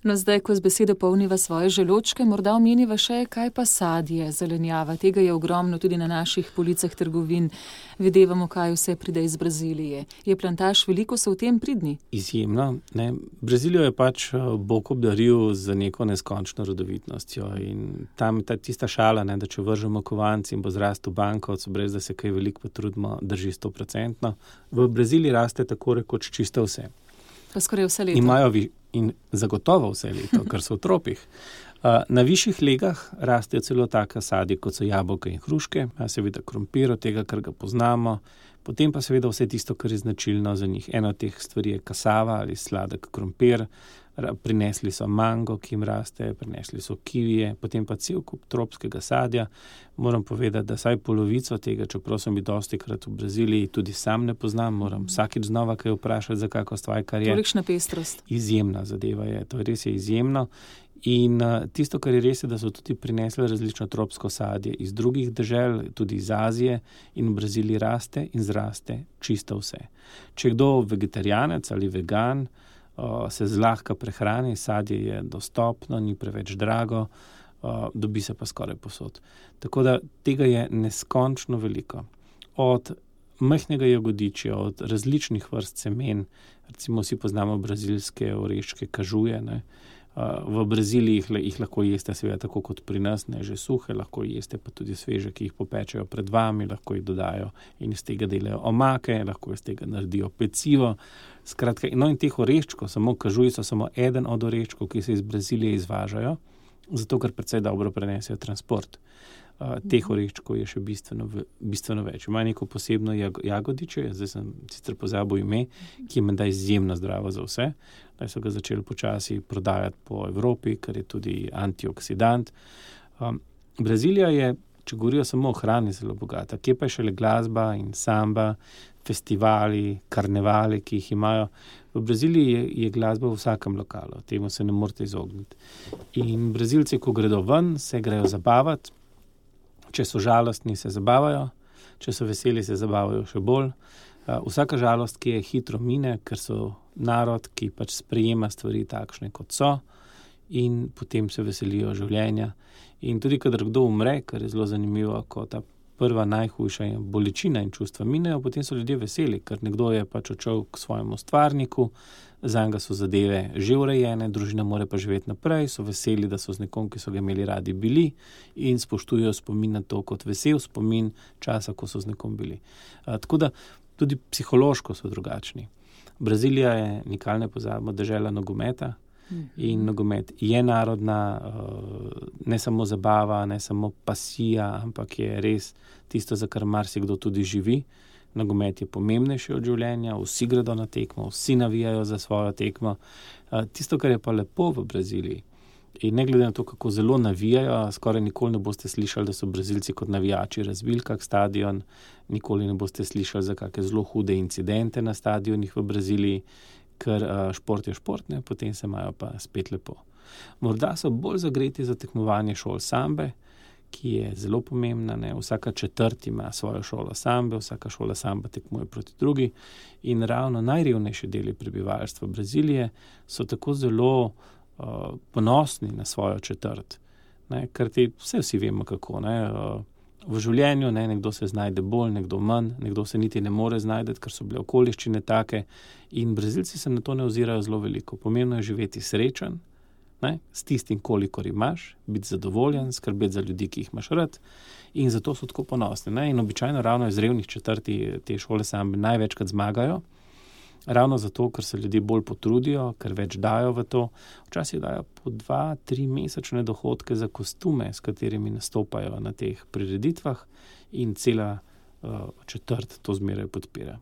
No, zdaj, ko z besedo polniva svoje želočke, morda omeniva še, kaj pa sadje, zelenjava. Tega je ogromno tudi na naših policah trgovin. Videvamo, kaj vse pride iz Brazilije. Je plantaž veliko, so v tem pridni? Izjemno. Ne. Brazilijo je pač Bog obdaril z neko neskončno rodovitnostjo in tam je tista šala, ne, da če vržemo kovanci in bo zrastel bankovec, brez da se kaj veliko potrudimo, drži 100%. V Braziliji raste tako rekoč čisto vse. Pa skoraj vse leto. In zagotovo vse leto, ker so v tropih. Na višjih legah rastejo celo taka sadje, kot so jabolka in hruške, seveda krompir, od tega, kar ga poznamo, potem pa seveda vse tisto, kar je značilno za njih. Ena od teh stvari je kasava ali sladek krompir, prinesli so mango, ki jim raste, prinesli so kivije, potem pa cel kup tropskega sadja. Moram povedati, da saj polovico tega, čeprav sem bil dostikrat v Braziliji, tudi sam ne poznam, moram vsakič znova kaj vprašati za kako stvar, kar je. Tolikšna pestrost. Izjemna zadeva je, to res je izjemno. In tisto, kar je res, je, da so tudi prinesli različno tropsko sadje iz drugih dežel, tudi iz Azije, in v Braziliji raste in zraste čisto vse. Če je kdo vegetarijanec ali vegan, se zlahka prehrani, sadje je dostopno, ni preveč drago, dobi se pa skoraj povsod. Tako da tega je neskončno veliko. Od majhnega jagodičja, od različnih vrst semen, recimo vsi poznamo brazilske oreščke kažuje, ne. V Braziliji jih lahko jeste seveda tako kot pri nas, ne, že suhe, lahko jeste pa tudi sveže, ki jih popečejo pred vami, lahko jih dodajo in iz tega delajo omake, lahko iz tega naredijo pecivo. Skratka, no in teh oreščkov, samo kažuji so samo eden od oreščkov, ki se iz Brazilije izvažajo, zato ker precej dobro prenesejo transport. Teh oreščkov je še bistveno več. Ima neko posebno jagodiče, zdaj sem sicer pozabil ime, ki je menda izjemno zdravo za vse. Zdaj so ga začeli počasi prodajati po Evropi, ker je tudi antioksidant. Brazilija je, če govorijo samo o hrani, zelo bogata. Kje pa je šele glasba in samba, festivali, karnevali, ki jih imajo. V Braziliji je glasba v vsakem lokalu, temu se ne morete izogniti. In Brazilci, ko gredo ven, se grejo zabavati. Če so žalostni, se zabavajo, če so veseli, se zabavajo še bolj. Vsaka žalost, ki je hitro mine, ker so narod, ki pač sprejema stvari takšne, kot so, in potem se veselijo življenja. In tudi, kadar kdo umre, kar je zelo zanimivo, ko ta prva najhujša bolečina in čustva minejo, potem so ljudje veseli, ker nekdo je pač odšel k svojemu stvarniku, zanjega so zadeve že urejene, družina more pa živeti naprej, so veseli, da so z nekom, ki so ga imeli radi, bili in spoštujejo spomin na to kot vesel spomin časa, ko so z nekom bili. Tako da tudi psihološko so drugačni. Brazilija je, nikoli ne pozabimo, dežela nogometa. In nogomet je narodna, ne samo zabava, ne samo pasija, ampak je res tisto, za kar marsikdo tudi živi. Nogomet je pomembnejši od življenja, vsi gredo na tekmo, vsi navijajo za svojo tekmo. Tisto, kar je pa lepo v Braziliji, in ne glede na to, kako zelo navijajo, skoraj nikoli ne boste slišali, da so Brazilci kot navijači razbili kak stadion, nikoli ne boste slišali za kakšne zelo hude incidente na stadionih v Braziliji, ker šport je šport, ne, potem se imajo pa spet lepo. Morda so bolj zagreti za tekmovanje šol sambe, ki je zelo pomembna, ne. Vsaka četrt ima svojo šolo sambe, vsaka šola samba tekmuje proti drugi in ravno najrevnejši deli prebivalstva Brazilije so tako zelo ponosni na svojo četrt, ne, ker vsi vemo kako, ne. V življenju, ne, nekdo se znajde bolj, nekdo manj, nekdo se niti ne more znajdeti, ker so bile okoliščine take in Brazilci se na to ne ozirajo zelo veliko. Pomembno je živeti srečen, ne, s tistim, kolikor imaš, biti zadovoljen, skrbeti za ljudi, ki jih imaš rad in zato so tako ponosni, ne. In običajno ravno iz revnih četrti te šole sambe največkrat zmagajo, ravno zato, ker se ljudje bolj potrudijo, ker več dajo v to. Včasih dajo po 2-3 mesečne dohodke za kostume, s katerimi nastopajo na teh prireditvah in cela četrt to zmeraj podpira.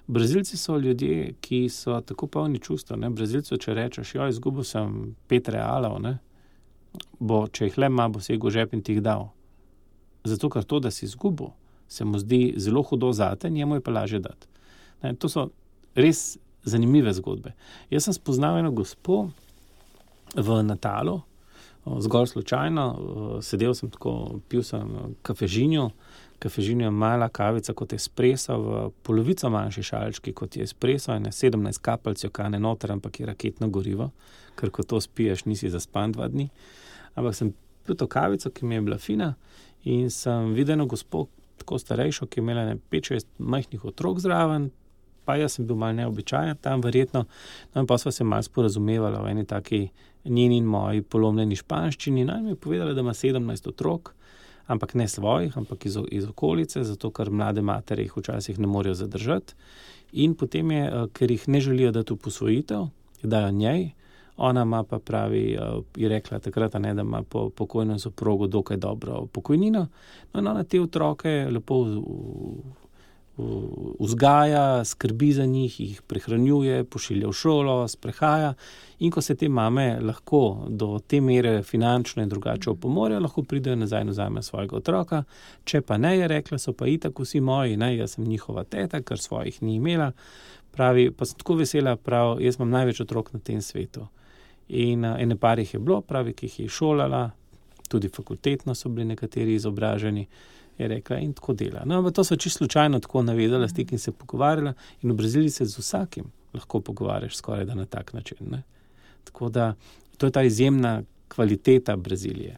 Brazilci so ljudje, ki so tako polni čustva, ne. Brazilcu, če rečeš, izgubil sem 5 realov, ne, če jih le ima, bo segel v žep in ti jih dal. Zato, ker to, da si izgubil, se mu zdi zelo hudo zate, njemu je pa lažje dati. Ne, to so res zanimive zgodbe. Jaz sem spoznal eno gospo v Natalu, zgolj slučajno, sedel sem tako, pil sem kafežinjo. Kafežinjo je mala kavica kot espresso, v polovico manjši šalčki kot je espresso, in 17 kapelj kane noter, ampak je raketno gorivo, ker ko to spiješ, nisi zaspan 2 dni. Ampak sem pil to kavico, ki mi je bila fina, in sem videl eno gospo, tako starejšo, ki je imela 5-6 majhnih otrok zraven, pa jaz sem bil malo neobičajen tam verjetno, no in pa sva se malo sporazumevala v eni taki njeni in moji polomljeni španščini, no in mi je povedala, da ima 17 otrok, ampak ne svojih, ampak iz okolice, zato ker mlade matere jih včasih ne morejo zadržati, in potem je, ker jih ne želijo dati v posvojitev, dajo njej, ona ima pa pravi, je rekla takrat, da ima po pokojnem soprogu dokaj dobro pokojnino, no in ona te otroke lepo vzgaja, skrbi za njih, jih prehranjuje, pošilja v šolo, sprehaja, in ko se te mame lahko do te mere finančno in drugače opomorejo, lahko pridejo nazaj in vzamejo svojega otroka, če pa ne, je rekla, so pa itak vsi moji, ne, jaz sem njihova teta, ker svojih ni imela, pravi, pa sem tako vesela, pravi, jaz imam največ otrok na tem svetu. In ene par jih je bilo, pravi, ki jih je šolala, tudi fakultetno so bili nekateri izobraženi, je rekla, in tako dela. No, ampak to so čisto slučajno tako navedala stik in se pogovarjala, in v Braziliji se z vsakim lahko pogovarjaš skoraj da na tak način, ne. Tako da, to je ta izjemna kvaliteta Brazilije.